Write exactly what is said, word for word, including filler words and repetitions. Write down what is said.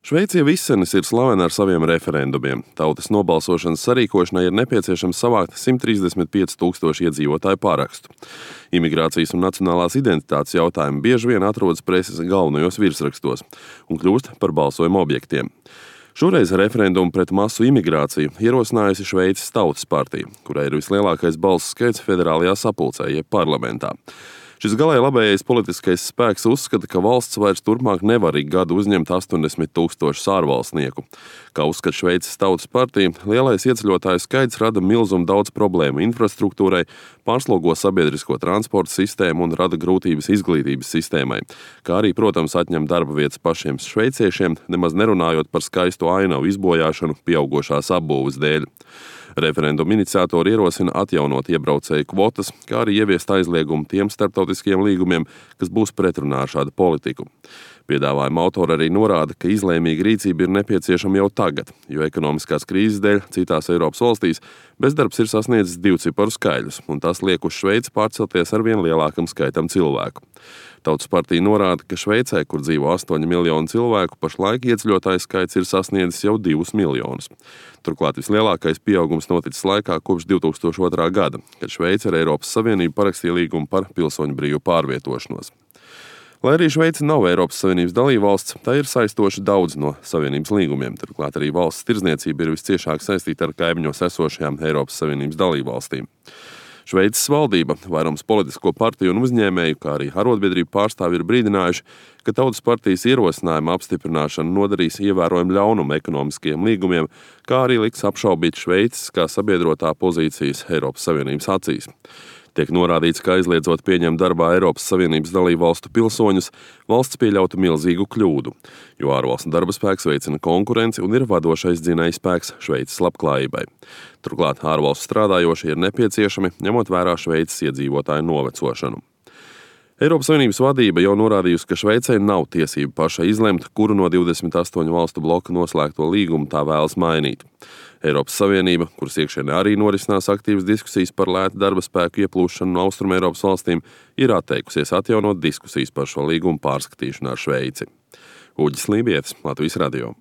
Šveice jau izsenis ir slavena ar saviem referendumiem. Tautas nobalsošanas sarīkošanai ir nepieciešams savākt simt trīsdesmit pieci tūkstoši iedzīvotāju parakstu. Imigrācijas un nacionālās identitātes jautājumi bieži vien atrodas preses galvenajos virsrakstos un kļūst par balsojuma objektiem. Šoreiz referendumu pret masu imigrāciju ierosinājusi Šveices Tautas partija, kurai ir vislielākais balsu skaits federālajā sapulcē, jeb parlamentā. Šis galēji labējais politiskais spēks uzskata, ka valsts vairs turpmāk nevar ik gadu uzņemt astoņdesmit tūkstošus ārvalstnieku. Kā uzskata Šveices Tautas partija, lielais ieceļotāju skaits rada milzumu daudz problēmu infrastruktūrai, pārslogo sabiedrisko transporta sistēmu un rada grūtības izglītības sistēmai, kā arī, protams, atņem darba vietas pašiem šveiciešiem, nemaz nerunājot par skaistu ainavu izbojāšanu pieaugošās apbūves dēļ. Referenduma iniciatori ierosina atjaunot iebraucēju kvotas, kā arī ieviest aizliegumu tiem starptautiskiem līgumiem, kas būs pretrunā ar šādu politiku. Piedāvājuma autori arī norāda, ka izlēmīga rīcība ir nepieciešama jau tagad, jo ekonomiskās krīzes dēļ citās Eiropas valstīs bezdarbs ir sasniedzis divciparu skaļus, un tas liek uz Šveici pārcelties ar vien lielākam skaitam cilvēku. Tautas partija norāda, ka Šveicē, kur dzīvo astoņi miljoni cilvēku, pašlaik ieceļotāju skaits ir sasniedzis jau divus miljonus. Turklāt vislielākais pieaugums noticis laikā kopš divi tūkstoši otrā gada, kad Šveice ar Eiropas Savienību parakstīja līgumu par pilsoņu brīvu pārvietošanos. Lai arī Šveice nav Eiropas Savienības dalībvalsts, tā ir saistoši daudz no Savienības līgumiem. Turklāt arī valsts tirdzniecība ir visciešāk saistīta ar kaimiņos esošajām Eiropas Savienības dalībvalstīm. Šveices valdība, vairums politisko partiju un uzņēmēju, kā arī arotbiedrību pārstāvji ir brīdinājuši, ka Tautas partijas ierosinājuma apstiprināšana nodarīs ievērojumu ļaunumu ekonomiskajiem līgumiem, kā arī liks apšaubīt Šveices kā sabiedrotā pozīcijas Eiropas Savienības acīs. Tiek norādīts, ka aizliedzot pieņemt darbā Eiropas Savienības dalībvalstu pilsoņus, valsts pieļautu milzīgu kļūdu, jo ārvalstu darba spēks veicina konkurenci un ir vadošais dzinējspēks Šveices labklājībai. Turklāt ārvalstu strādājošie ir nepieciešami, ņemot vērā Šveices iedzīvotāju novecošanu. Eiropas Savienības vadība jau norādījusi, ka Šveicei nav tiesība pašai izlemt, kuru no divdesmit astoņu valstu bloka noslēgto līgumu tā vēlas mainīt. Eiropas Savienība, kuras iekšienē arī norisinās aktīvas diskusijas par lētu darba spēku ieplūšanu no Austrumeiropas valstīm, ir atteikusies atjaunot diskusijas par šo līgumu pārskatīšanu ar Šveici. Uģis Lībietis, Latvijas radio.